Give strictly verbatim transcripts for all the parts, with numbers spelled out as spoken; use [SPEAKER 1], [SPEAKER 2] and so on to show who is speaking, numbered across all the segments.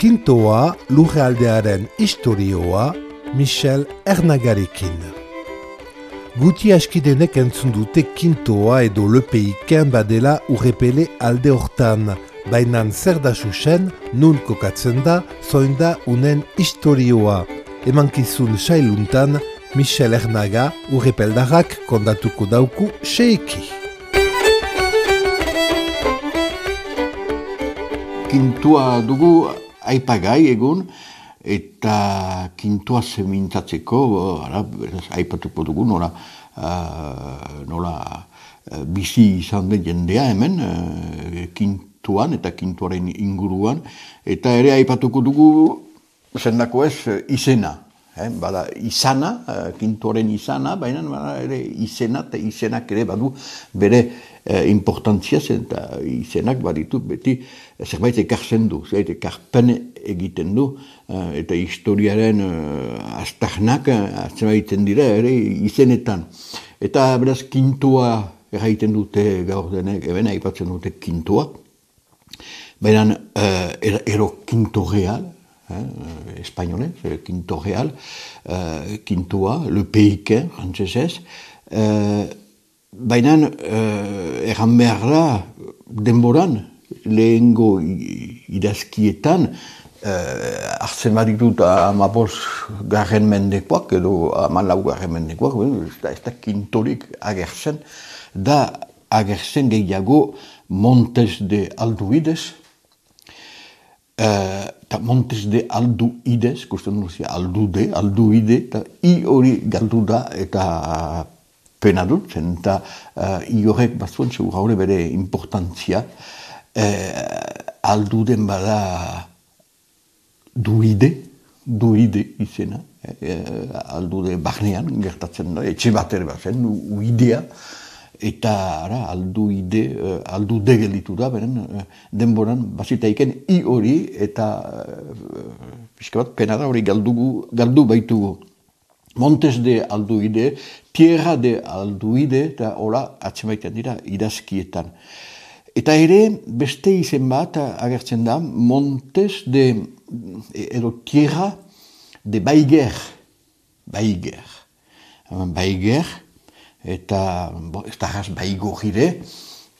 [SPEAKER 1] Kintoa lurraldearen istorioa Michel Ernagarekin. Guti askidenek entzun dute Kintoa edo lepeiken badela urrepele alde hortan, bainan zer da susen, nun kokatzen da, zoin da unen istorioa. Emankizun sailuntan, Michel Ernaga urrepeldarrak kondatuko dauku seiki.
[SPEAKER 2] Kintua dugu aipagai egun, eta kintua zemintzatzeko, aipatuko dugu, nola, uh, nola uh, bizi izan den jendea hemen, uh, kintuan eta kintuaren inguruan, eta ere aipatuko dugu, zendako ez, izena. Eh, bada izana, uh, kintuaren izana, baina bada ere izena, eta izenak ere badu bere uh, importantzia zen, eta izenak baditu beti zerbait ekartzen du, zerbait ekarpen egiten du, uh, eta historiaren uh, aztarnak uh, zerbaiten dira ere izenetan. Eta beraz kintua erraiten dute gaur denek, eben aipatzen dute kintua, baina uh, ero, ero kinto real, Eh, espagnolez, Quinto Real, eh, Quintoa, le peiken, frantzesez, eh, baina eh, erran behar da, denboran, lehengo idazkietan, eh, hartzen baditut amabos garren mendekoak, edo amalau garren mendekoak, ez da, ez da Quintorik agertzen, da agertzen gehiago Montes de Alduides, eta uh, Montes de Alduides, kusten duzia aldude, alduide, eta i hori galdu da eta pena dut, zen eta uh, i horrek bazuen segur haure bere importantzia, uh, alduden bada duide, duide izena, uh, aldude barnean gertatzen da, etxe bat ere bazen, uidea, eta ara, alduide, uh, aldude gelditu da, beren uh, denboran bazitaiken i hori eta uh, pixka bat pena da hori galdugu, galdu baitugu. Montes de Alduide, Tierra de Alduide, eta hola atzemaiten dira idazkietan. Eta ere, beste izen bat agertzen da, Montes de, edo Tierra de Baiger, Baiger, Baiger, eta ez da jaz baigorire,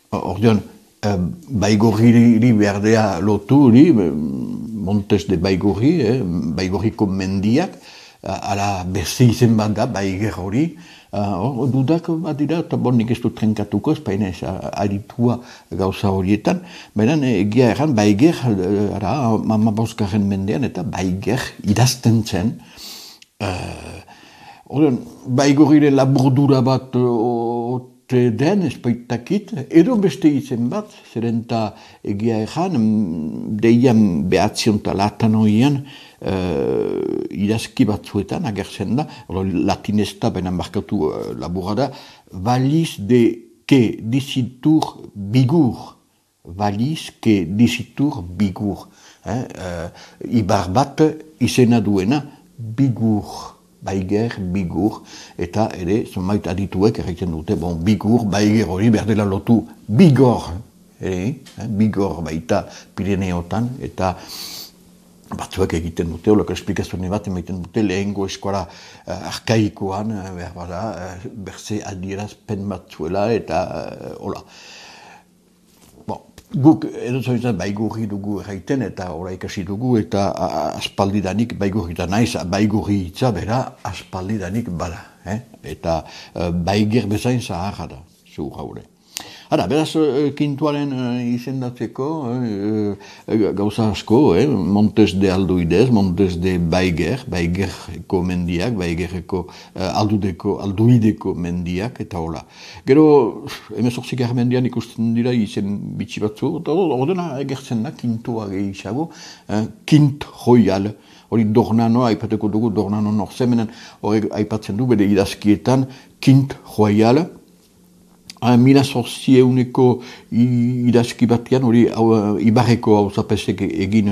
[SPEAKER 2] ordean, eh, baigoriri berdea lotu hori, Montes de Baigorri, eh, baigorriko mendiak, ala beste izen bat da, baiger hori, uh, dudak bat dira, eta bon nik ez dut trenkatuko, ez baina ez aditua gauza horietan, baina egia erran, baiger, ara, mamabosgarren mendean, eta baiger idazten zen, uh, Ordean, baigorire laburdura bat ote den, espaitakit, edo beste izen bat, zeren eta egia erran, deian behatzion eta latan horian, uh, idazki batzuetan agertzen da, latinezta baina markatu uh, laburra da, valiz de que disitur bigur, valiz que disitur bigur, eh? uh, ibar bat izena duena bigur. Baiger, bigur, eta ere, zonbait adituek erraiten dute, bon, bigur, baiger hori berdela lotu bigor, ere, eh, bigor baita Pireneotan, eta batzuek egiten dute, holako esplikazioa bat emaiten dute, lehengo eskola uh, arkaikoan, uh, behar bada, uh, berze adierazpen batzuela, eta uh, hola. Guk edo zoizan baigurri dugu erraiten eta ora ikasi dugu eta aspaldidanik baigurri da naiz, baigurri hitza bera aspaldidanik bada. Eh? Eta uh, baiger bezain zaharra da, zuur haure. Hara, beraz, kintuaren uh, izendatzeko uh, gauza asko, eh? Montes de Alduides, Montes de Baiger, Baigerko mendiak, Baigerko uh, aldudeko, alduideko mendiak, eta hola. Gero, emezortzik mendian ikusten dira izen bitxi batzu, eta ordena egertzen da, kintua gehiago, eh? Kint Royal, hori Dornano, aipateko dugu Dornano norzemenen, hori aipatzen du, bere idazkietan, Kint Royal, Mila zortzieuneko idazki batean, hori Ibarreko hauzapesek egin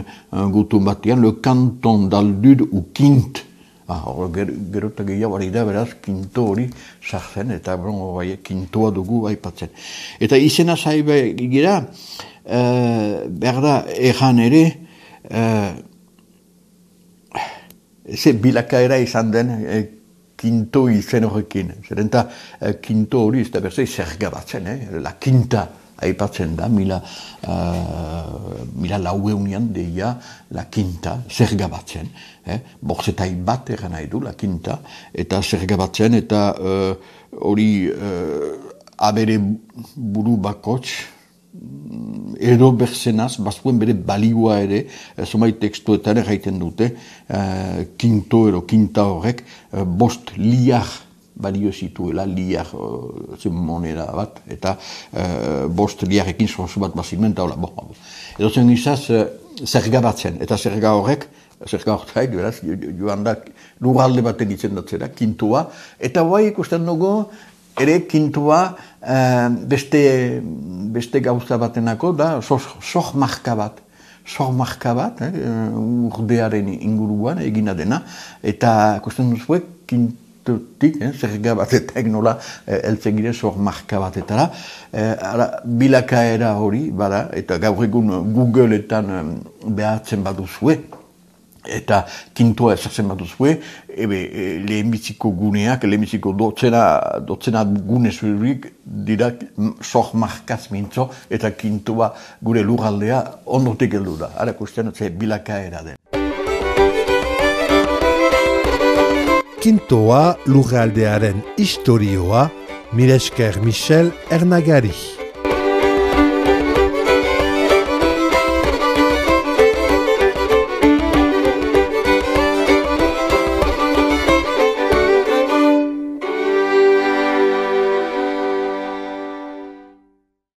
[SPEAKER 2] gutun batean, le canton d'Aldud u Kint. Ah, gero eta gehiago hori da, beraz, kinto hori sartzen, eta kintoa dugu aipatzen. Eta izena zaiba gira, behar da, erran ere, ze bilakaera izan den e, kinto izen horrekin. Zeren eta e, kinto hori ez da berzei zerga batzen, eh? La kinta aipatzen da, mila, uh, mila laueunian deia la kinta, zerga batzen. Eh? Borzetai bat eran nahi du, la kinta, eta zerga batzen, eta hori uh, uh, abere buru bakots, edo berzenaz, bazuen bere balioa ere, zomai tekstuetan erraiten dute, uh, kinto edo kinta horrek, uh, bost liar balio zituela, liar uh, zen moneda bat, eta uh, bost liarekin sorzu bat bazimen, eta hola, bo, edo zen izaz, uh, zerga batzen, eta zerga horrek, zerga horrek, beraz, joan da, lurralde baten izendatzera, kintua, eta bai ikusten dugu, ere kintua uh, beste, beste gauza batenako, da, soh marka bat, soh marka bat, eh, urdearen inguruan egina dena, eta ikusten duzu, kintua, Tutik, eh, zerga batetak nola eh, eltzegire zor marka batetara. Eh, ara, bilakaera hori, bada, eta gaur egun Googleetan eh, behartzen baduzue, eta kintoa ezartzen baduzue, ebe eh, lehenbiziko guneak, lehenbiziko dotzena, dotzena gune zurik dira zor markaz mintzo, eta kintoa gure lurraldea ondotik heldu da. Ara kusten, ze bilakaera den.
[SPEAKER 1] Kintoa lurraldearen istorioa, mila esker Michel Ernagari.